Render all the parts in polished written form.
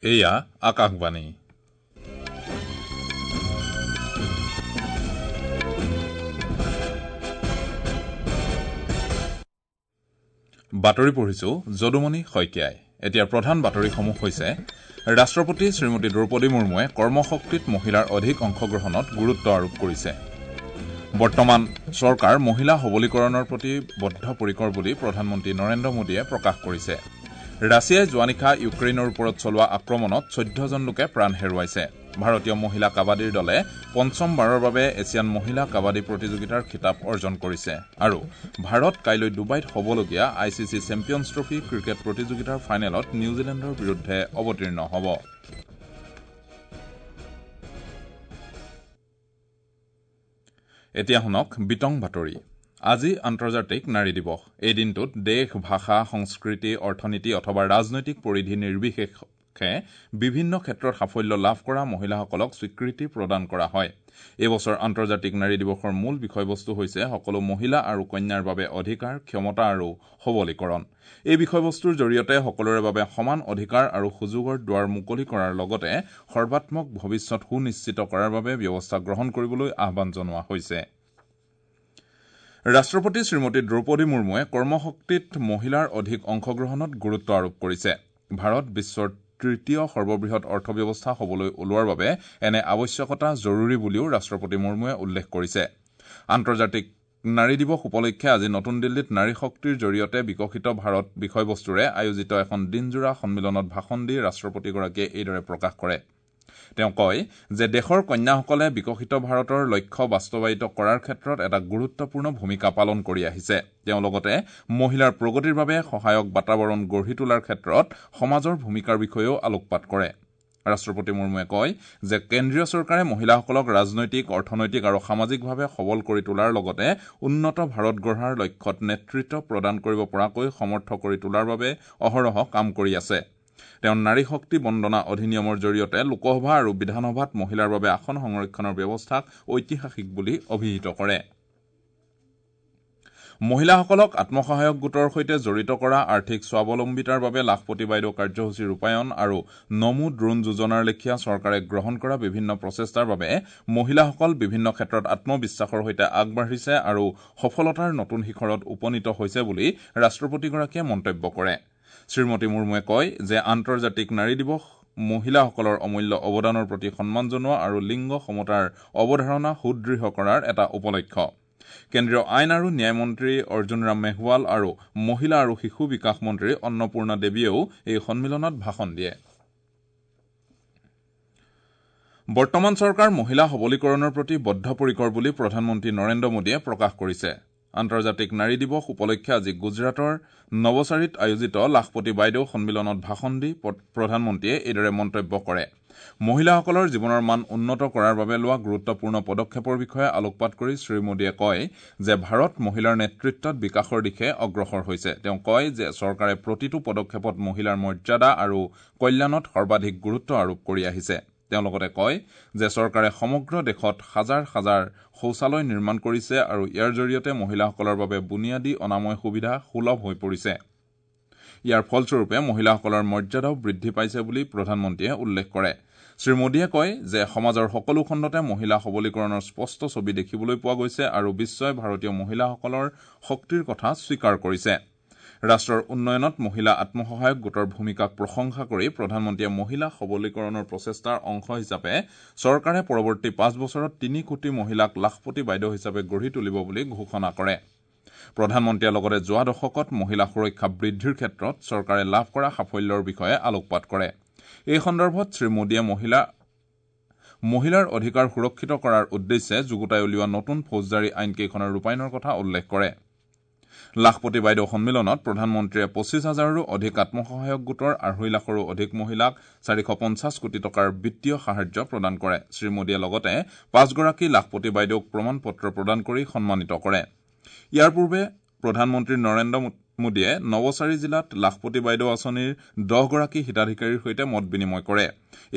এয়া আকাশবাণী। বাতৰি পঢ়িছো যদুমণি শইকীয়াই। এতিয়া প্ৰধান বাতৰিসমূহ হৈছে ৰাষ্ট্ৰপতি শ্ৰীমতী দ্ৰৌপদী মুৰ্মুৱে কৰ্মশক্তিত মহিলাৰ অধিক অংশগ্ৰহণত গুৰুত্ব আৰোপ কৰিছে। বৰ্তমান চৰকাৰ মহিলা সবলীকৰণৰ প্ৰতি বদ্ধপৰিকৰ বুলি প্ৰধানমন্ত্ৰী নৰেন্দ্ৰ মোদীয়ে প্ৰকাশ কৰিছে। ৰাছিয়াই যোৱা নিশা ইউক্ৰেইনৰ ওপৰত চলোৱা আক্ৰমণত ১৪জন লোকে প্ৰাণ হেৰুৱাইছে। ভাৰতীয় মহিলা কাবাডীৰ দলে পঞ্চমবাৰৰ বাবে এছিয়ান মহিলা কাবাডী প্ৰতিযোগিতাৰ খিতাপ অৰ্জন কৰিছে আৰু ভাৰত কাইলৈ ডুবাইত হ'বলগীয়া I C C champions trophy cricket প্ৰতিযোগিতাৰ ফাইনেলত নিউজিলেণ্ডৰ বিৰুদ্ধে অৱতীৰ্ণ হ'ব। এতিয়া শুনক বিতং বাতৰি। আজি আন্তৰ্জাতিক নাৰী দিৱস। এই দিনটোত দেশ, ভাষা, সংস্কৃতি, অৰ্থনীতি অথবা ৰাজনৈতিক পৰিধি নিৰ্বিশেষে বিভিন্ন ক্ষেত্ৰত সাফল্য লাভ কৰা মহিলাসকলক স্বীকৃতি প্ৰদান কৰা হয়। এই বছৰ আন্তৰ্জাতিক নাৰী দিৱসৰ মূল বিষয়বস্তু হৈছে সকলো মহিলা আৰু কন্যাৰ বাবে অধিকাৰ, ক্ষমতা আৰু সবলীকৰণ। এই বিষয়বস্তুৰ জৰিয়তে সকলোৰে বাবে সমান অধিকাৰ আৰু সুযোগৰ দুৱাৰ মুকলি কৰাৰ লগতে সৰ্বাত্মক ভৱিষ্যত সুনিশ্চিত কৰাৰ বাবে ব্যৱস্থা গ্ৰহণ কৰিবলৈ আহ্বান জনোৱা হৈছে। ৰাষ্ট্ৰপতি শ্ৰীমতী দ্ৰৌপদী মুৰ্মুৱে কৰ্মশক্তিত মহিলাৰ অধিক অংশগ্ৰহণত গুৰুত্ব আৰোপ কৰিছে। ভাৰত বিশ্বৰ তৃতীয় সৰ্ববৃহৎ অৰ্থব্যৱস্থা হ'বলৈ ওলোৱাৰ বাবে এনে আৱশ্যকতা জৰুৰী বুলিও ৰাষ্ট্ৰপতি মুৰ্মুৱে উল্লেখ কৰিছে। আন্তৰ্জাতিক নাৰী দিৱস উপলক্ষে আজি নতুন দিল্লীত নাৰী শক্তিৰ জৰিয়তে বিকশিত ভাৰত বিষয়বস্তুৰে আয়োজিত এখন দিনজোৰা সন্মিলনত ভাষণ দি ৰাষ্ট্ৰপতিগৰাকীয়ে এইদৰে প্ৰকাশ কৰে। তেওঁ কয় যে দেশৰ কন্যাসকলে বিকশিত ভাৰতৰ লক্ষ্য বাস্তৱায়িত কৰাৰ ক্ষেত্ৰত এটা গুৰুত্বপূৰ্ণ ভূমিকা পালন কৰি আহিছে। তেওঁ লগতে মহিলাৰ প্ৰগতিৰ বাবে সহায়ক বাতাবৰণ গঢ়ি তোলাৰ ক্ষেত্ৰত সমাজৰ ভূমিকাৰ বিষয়েও আলোকপাত কৰে। ৰাষ্ট্ৰপতি মুৰ্মুৱে কয় যে কেন্দ্ৰীয় চৰকাৰে মহিলাসকলক ৰাজনৈতিক, অৰ্থনৈতিক আৰু সামাজিকভাৱে সবল কৰি তোলাৰ লগতে উন্নত ভাৰত গঢ়াৰ লক্ষ্যত নেতৃত্ব প্ৰদান কৰিব পৰাকৈ সমৰ্থ কৰি তোলাৰ বাবে অহৰহ কাম কৰি আছে। তেওঁ নাৰী শক্তি বন্দনা অধিনিয়মৰ জৰিয়তে লোকসভা আৰু বিধানসভাত মহিলাৰ বাবে আসন সংৰক্ষণৰ ব্যৱস্থাক ঐতিহাসিক বুলি অভিহিত কৰে। মহিলাসকলক আত্মসহায়ক গোটৰ সৈতে জড়িত কৰা, আৰ্থিক স্বাৱলম্বিতাৰ বাবে লাখপতি বাইদেউ কাৰ্যসূচী ৰূপায়ণ আৰু নমো ড্ৰোন যোজনাৰ লেখীয়া চৰকাৰে গ্ৰহণ কৰা বিভিন্ন প্ৰচেষ্টাৰ বাবে মহিলাসকল বিভিন্ন ক্ষেত্ৰত আত্মবিশ্বাসৰ সৈতে আগবাঢ়িছে আৰু সফলতাৰ নতুন শিখৰত উপনীত হৈছে বুলি ৰাষ্ট্ৰপতিগৰাকীয়ে মন্তব্য কৰে। শ্ৰীমতী মুৰ্মুৱে কয় যে আন্তৰ্জাতিক নাৰী দিৱস মহিলাসকলৰ অমূল্য অৱদানৰ প্ৰতি সন্মান জনোৱা আৰু লিংগ সমতাৰ অৱধাৰণা সুদৃঢ় কৰাৰ এটা উপলক্ষ। কেন্দ্ৰীয় আইন আৰু ন্যায় মন্ত্ৰী অৰ্জুন ৰাম মেঘৱাল আৰু মহিলা আৰু শিশু বিকাশ মন্ত্ৰী অন্নপূৰ্ণা দেৱীয়েও এই সন্মিলনত ভাষণ দিয়ে। বৰ্তমান চৰকাৰ মহিলা সবলীকৰণৰ প্ৰতি বদ্ধপৰিকৰ বুলি প্ৰধানমন্ত্ৰী নৰেন্দ্ৰ মোদীয়ে প্ৰকাশ কৰিছে। আন্তৰ্জাতিক নাৰী দিৱস উপলক্ষে আজি গুজৰাটৰ নৱচাৰীত আয়োজিত লাখপতি বাইদেউ সন্মিলনত ভাষণ দি প্ৰধানমন্ত্ৰীয়ে এইদৰে মন্তব্য কৰে। মহিলাসকলৰ জীৱনৰ মান উন্নত কৰাৰ বাবে লোৱা গুৰুত্বপূৰ্ণ পদক্ষেপৰ বিষয়ে আলোকপাত কৰি শ্ৰীমোদীয়ে কয় যে ভাৰত মহিলাৰ নেতৃত্বত বিকাশৰ দিশে অগ্ৰসৰ হৈছে। তেওঁ কয় যে চৰকাৰে প্ৰতিটো পদক্ষেপত মহিলাৰ মৰ্যাদা আৰু কল্যাণত সৰ্বাধিক গুৰুত্ব আৰোপ কৰি আহিছে। তেওঁ লগতে কয় যে চৰকাৰে সমগ্ৰ দেশত হাজাৰ হাজাৰ শৌচালয় নিৰ্মাণ কৰিছে আৰু ইয়াৰ জৰিয়তে মহিলাসকলৰ বাবে বুনিয়াদী অনাময় সুবিধা সুলভ হৈ পৰিছে। ইয়াৰ ফলস্বৰূপে মহিলাসকলৰ মৰ্যাদাও বৃদ্ধি পাইছে বুলি প্ৰধানমন্ত্ৰীয়ে উল্লেখ কৰে। শ্ৰীমোদীয়ে কয় যে সমাজৰ সকলো খণ্ডতে মহিলা সবলীকৰণৰ স্পষ্ট ছবি দেখিবলৈ পোৱা গৈছে আৰু বিশ্বই ভাৰতীয় মহিলাসকলৰ শক্তিৰ কথা স্বীকাৰ কৰিছে। ৰাষ্ট্ৰৰ উন্নয়নত মহিলা আত্মসহায়ক গোটৰ ভূমিকাক প্ৰশংসা কৰি প্ৰধানমন্ত্ৰীয়ে মহিলা সবলীকৰণৰ প্ৰচেষ্টাৰ অংশ হিচাপে চৰকাৰে পৰৱৰ্তী ৫ বছৰত ৩ কোটি মহিলাক লাখপতি বাইদেউ হিচাপে গঢ়ি তুলিব বুলি ঘোষণা কৰে। প্ৰধানমন্ত্ৰীয়ে লগতে যোৱা দশকত মহিলা সুৰক্ষা বৃদ্ধিৰ ক্ষেত্ৰত চৰকাৰে লাভ কৰা সাফল্যৰ বিষয়ে আলোকপাত কৰে। এই সন্দৰ্ভত শ্ৰীমোদীয়ে মহিলাৰ অধিকাৰ সুৰক্ষিত কৰাৰ উদ্দেশ্যে যুগুতাই উলিওৱা নতুন ফৌজদাৰী আইনকেইখনৰ ৰূপায়ণৰ কথা উল্লেখ কৰে। লাখপতি বাইদেউ সন্মিলনত প্ৰধানমন্ত্ৰীয়ে ২৫ হাজাৰৰো অধিক আত্মসহায়ক গোটৰ ২.৫ লাখৰো অধিক মহিলাক ৪৫০ কোটি টকাৰ বিত্তীয় সাহায্য প্ৰদান কৰে। শ্ৰীমোদীয়ে লগতে ৫গৰাকী লাখপতি বাইদেউক প্ৰমাণ পত্ৰ প্ৰদান কৰি সন্মানিত কৰে। ইয়াৰ পূৰ্বে প্ৰধানমন্ত্ৰী নৰেন্দ্ৰ মোদীয়ে নৱচাৰী জিলাত লাখপতি বাইদেউ আঁচনিৰ ১০গৰাকী হিতাধিকাৰীৰ সৈতে মত বিনিময় কৰে।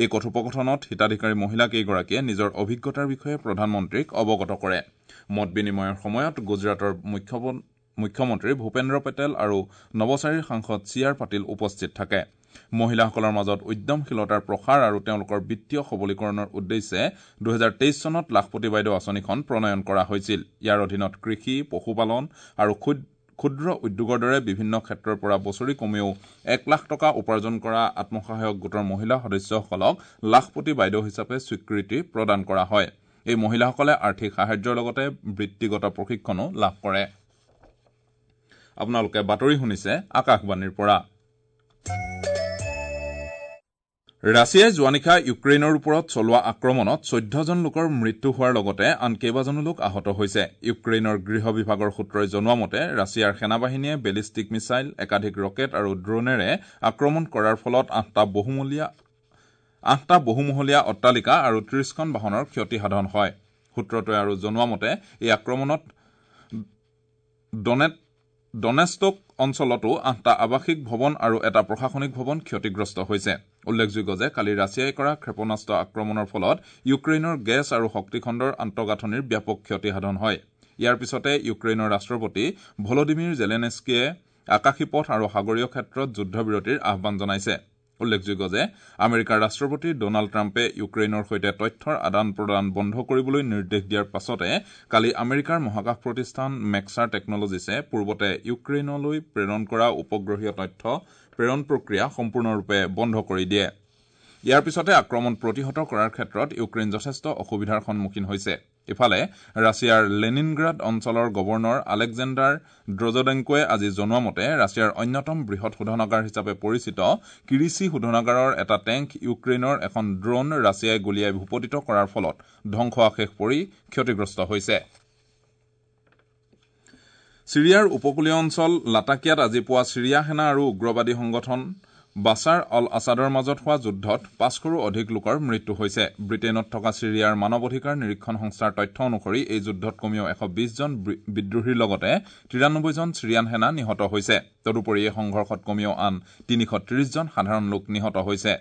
এই কথোপকথনত হিতাধিকাৰী মহিলাকেইগৰাকীয়ে নিজৰ অভিজ্ঞতাৰ বিষয়ে প্ৰধানমন্ত্ৰীক অৱগত কৰে। মত বিনিময়ৰ সময়ত গুজৰাটৰ মুখ্যমন্ত্ৰী ভূপেন্দ্ৰ পেটেল আৰু নৱচাৰীৰ সাংসদ চি আৰ পাটিল উপস্থিত থাকে। মহিলাসকলৰ মাজত উদ্যমশীলতাৰ প্ৰসাৰ আৰু তেওঁলোকৰ বিত্তীয় সবলীকৰণৰ উদ্দেশ্যে 2023 চনত লাখপতি বাইদেউ আঁচনিখন প্ৰণয়ন কৰা হৈছিল। ইয়াৰ অধীনত কৃষি, পশুপালন আৰু ক্ষুদ্ৰ উদ্যোগৰ দৰে বিভিন্ন ক্ষেত্ৰৰ পৰা বছৰি কমেও 1 লাখ টকা উপাৰ্জন কৰা আত্মসহায়ক গোটৰ মহিলা সদস্যসকলক লাখপতি বাইদেউ হিচাপে স্বীকৃতি প্ৰদান কৰা হয়। এই মহিলাসকলে আৰ্থিক সাহায্যৰ লগতে বৃত্তিগত প্ৰশিক্ষণো লাভ কৰে। আপোনালোকে বাতৰি শুনিছে আকাশবাণীৰ পৰা। ৰাছিয়াই যোৱা নিশা ইউক্ৰেইনৰ ওপৰত চলোৱা আক্ৰমণত 14জন লোকৰ মৃত্যু হোৱাৰ লগতে আন কেইবাজনো লোক আহত হৈছে। ইউক্ৰেইনৰ গৃহ বিভাগৰ সূত্ৰই জনোৱা মতে ৰাছিয়াৰ সেনাবাহিনীয়ে বেলিষ্টিক মিছাইল, একাধিক ৰকেট আৰু ড্ৰোনেৰে আক্ৰমণ কৰাৰ ফলত 8টা বহুমহলীয়া অট্টালিকা আৰু 30খন বাহনৰ ক্ষতিসাধন হয়। সূত্ৰটোৱে আৰু জনোৱা মতে এই আক্ৰমণত ডনেষ্টক অঞ্চলতো 8টা আৱাসিক ভৱন আৰু এটা প্ৰশাসনিক ভৱন ক্ষতিগ্ৰস্ত হৈছে। উল্লেখযোগ্য যে কালি ৰাছিয়াই কৰা ক্ষেপণাস্ত্ৰ আক্ৰমণৰ ফলত ইউক্ৰেইনৰ গেছ আৰু শক্তিখণ্ডৰ আন্তঃগাঁথনিৰ ব্যাপক ক্ষতিসাধন হয়। ইয়াৰ পিছতে ইউক্ৰেইনৰ ৰাষ্ট্ৰপতি ভলডিমিৰ জেলেনেস্কিয়ে আকাশী পথ আৰু সাগৰীয় ক্ষেত্ৰত যুদ্ধবিৰতিৰ আহ্বান জনাইছে। উল্লেখযোগ্য যে আমেৰিকাৰ ৰাষ্ট্ৰপতি ডনাল্ড ট্ৰাম্পে ইউক্ৰেইনৰ সৈতে তথ্যৰ আদান প্ৰদান বন্ধ কৰিবলৈ নিৰ্দেশ দিয়াৰ পাছতে কালি আমেৰিকাৰ মহাকাশ প্ৰতিষ্ঠান মেক্সাৰ টেকনলজিছে পূৰ্বতে ইউক্ৰেইনলৈ প্ৰেৰণ কৰা উপগ্ৰহীয় তথ্য প্ৰেৰণ প্ৰক্ৰিয়া সম্পূৰ্ণৰূপে বন্ধ কৰি দিয়ে। ইয়াৰ পিছতে আক্ৰমণ প্ৰতিহত কৰাৰ ক্ষেত্ৰত ইউক্ৰেইন যথেষ্ট অসুবিধাৰ সন্মুখীন হৈছে। ইফালে ৰাছিয়াৰ লেনিনগ্ৰাড অঞ্চলৰ গৱৰ্ণৰ আলেকজেণ্ডাৰ ড্ৰজডেংকোৱে আজি জনোৱা মতে ৰাছিয়াৰ অন্যতম বৃহৎ শোধনাগাৰ হিচাপে পৰিচিত কিৰিচি শোধনাগাৰৰ এটা টেংক ইউক্ৰেইনৰ এখন ড্ৰোন ৰাছিয়াই গুলীয়াই ভূপতিত কৰাৰ ফলত ধ্বংসাৱশেষ পৰি ক্ষতিগ্ৰস্ত হৈছে। ছিৰিয়াৰ উপকূলীয় অঞ্চল লাটাকিয়াত আজি পুৱা ছিৰিয়া সেনা আৰু উগ্ৰবাদী সংগঠন বাছাৰ অল আছাদৰ মাজত হোৱা যুদ্ধত 500ৰো অধিক লোকৰ মৃত্যু হৈছে। ব্ৰিটেইনত থকা ছিৰিয়াৰ মানৱ অধিকাৰ নিৰীক্ষণ সংস্থাৰ তথ্য অনুসৰি এই যুদ্ধত কমেও 120 জন বিদ্ৰোহীৰ লগতে 93 জন ছিৰিয়ান সেনা নিহত হৈছে। তদুপৰি এই সংঘৰ্ষত কমেও আন 330 জন সাধাৰণ লোক নিহত হৈছে।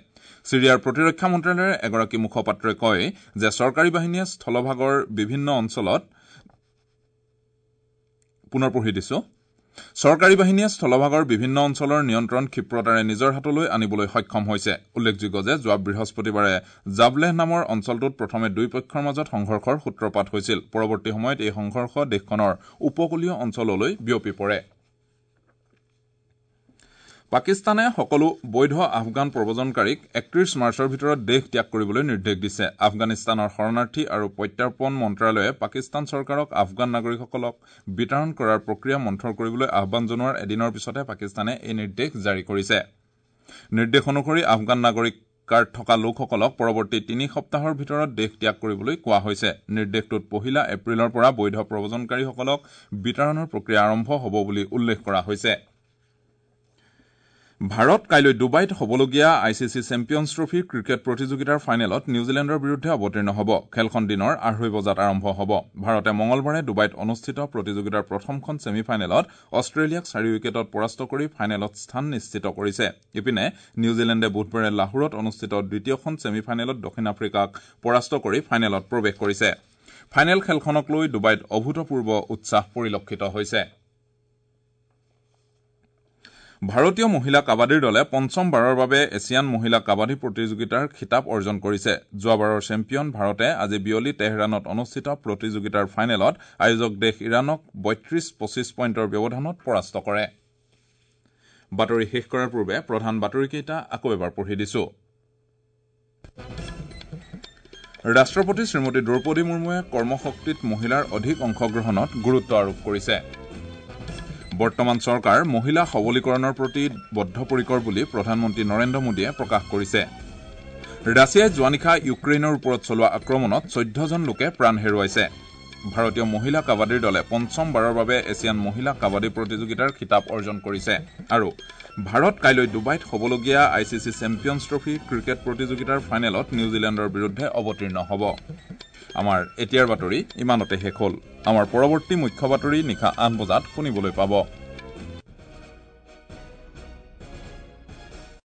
ছিৰিয়াৰ প্ৰতিৰক্ষা মন্ত্ৰালয়ৰ এগৰাকী মুখপাত্ৰই কয় যে চৰকাৰী বাহিনীয়ে স্থলভাগৰ বিভিন্ন অঞ্চলত পুনৰ পঢ়ি দিছো। চৰকাৰী বাহিনীয়ে স্থলভাগৰ বিভিন্ন অঞ্চলৰ নিয়ন্ত্ৰণ ক্ষিপ্ৰতাৰে নিজৰ হাতলৈ আনিবলৈ সক্ষম হৈছে। উল্লেখযোগ্য যে যোৱা বৃহস্পতিবাৰে জাবলেহ নামৰ অঞ্চলটোত প্ৰথমে দুই পক্ষৰ মাজত সংঘৰ্ষৰ সূত্ৰপাত হৈছিল। পৰৱৰ্তী সময়ত এই সংঘৰ্ষ দেশখনৰ উপকূলীয় অঞ্চললৈ বিয়পি পৰে। পাকিস্তানে সকলো বৈধ আফগান প্ৰব্ৰজনকাৰীক 31 মাৰ্চৰ ভিতৰত দেশ ত্যাগ কৰিবলৈ নিৰ্দেশ দিছে। আফগানিস্তানৰ শৰণাৰ্থী আৰু প্ৰত্যাৰ্পণ মন্ত্ৰালয়ে পাকিস্তান চৰকাৰক আফগান নাগৰিকসকলক বিতৰণ কৰাৰ প্ৰক্ৰিয়া মন্থৰ কৰিবলৈ আহ্বান জনোৱাৰ এদিনৰ পিছতে পাকিস্তানে এই নিৰ্দেশ জাৰি কৰিছে। নিৰ্দেশ অনুসৰি আফগান নাগৰিক কাৰ্ড থকা লোকসকলক পৰৱৰ্তী 3 সপ্তাহৰ ভিতৰত দেশ ত্যাগ কৰিবলৈ কোৱা হৈছে। নিৰ্দেশটোত 1 এপ্ৰিলৰ পৰা বৈধ প্ৰব্ৰজনকাৰীসকলক বিতৰণৰ প্ৰক্ৰিয়া আৰম্ভ হ'ব বুলি উল্লেখ কৰা হৈছে। ভাৰত কাইলৈ ডুবাইত হ'বলগীয়া I C C champions trophy cricket প্ৰতিযোগিতাৰ ফাইনেলত নিউজিলেণ্ডৰ বিৰুদ্ধে অৱতীৰ্ণ হ'ব। খেলখন দিনৰ 2:30 বজাত আৰম্ভ হ'ব। ভাৰতে মঙলবাৰে ডুবাইত অনুষ্ঠিত প্ৰতিযোগিতাৰ প্ৰথমখন ছেমি ফাইনেলত অষ্ট্ৰেলিয়াক 4 উইকেটত পৰাস্ত কৰি ফাইনেলত স্থান নিশ্চিত কৰিছে। ইপিনে নিউজিলেণ্ডে বুধবাৰে লাহোৰত অনুষ্ঠিত দ্বিতীয়খন ছেমি ফাইনেলত দক্ষিণ আফ্ৰিকাক পৰাস্ত কৰি ফাইনেলত প্ৰৱেশ কৰিছে। ফাইনেল খেলখনক লৈ ডুবাইত অভূতপূৰ্ব উৎসাহ পৰিলক্ষিত হৈছে। ভাৰতীয় মহিলা কাবাডীৰ দলে পঞ্চমবাৰৰ বাবে এছিয়ান মহিলা কাবাডী প্ৰতিযোগিতাৰ খিতাপ অৰ্জন কৰিছে। যোৱাবাৰৰ চেম্পিয়ন ভাৰতে আজি বিয়লি তেহৰাণত অনুষ্ঠিত প্ৰতিযোগিতাৰ ফাইনেলত আয়োজক দেশ ইৰাণক 32-25 পইণ্টৰ ব্যৱধানত পৰাস্ত কৰে। বাতৰি শেষ কৰাৰ পূৰ্বে প্ৰধান বাতৰিকেইটা আকৌ এবাৰ পঢ়ি দিছো। ৰাষ্ট্ৰপতি শ্ৰীমতী দ্ৰৌপদী মুৰ্মুৱে কৰ্মশক্তিত মহিলাৰ অধিক অংশগ্ৰহণত গুৰুত্ব আৰোপ কৰিছে। বৰ্তমান চৰকাৰ মহিলা সবলীকৰণৰ প্ৰতি বদ্ধপৰিকৰ বুলি প্ৰধানমন্ত্ৰী নৰেন্দ্ৰ মোদীয়ে প্ৰকাশ কৰিছে। ৰাছিয়াই যোৱা নিশা ইউক্ৰেইনৰ ওপৰত চলোৱা আক্ৰমণত 14জন লোকে প্ৰাণ হেৰুৱাইছে। ভাৰতীয় মহিলা কাবাডীৰ দলে পঞ্চমবাৰৰ বাবে এছিয়ান মহিলা কাবাডী প্ৰতিযোগিতাৰ খিতাপ অৰ্জন কৰিছে। আৰু ভাৰত কাইলৈ ডুবাইত হ'বলগীয়া I C C champions trophy cricket প্ৰতিযোগিতাৰ ফাইনেলত নিউজিলেণ্ডৰ বিৰুদ্ধে অৱতীৰ্ণ হ'ব। আমাৰ এতিয়াৰ বাতৰি ইমানতে শেষ হ'ল। আমাৰ পৰৱৰ্তী মুখ্য বাতৰি নিশা 8 বজাত শুনিবলৈ পাব।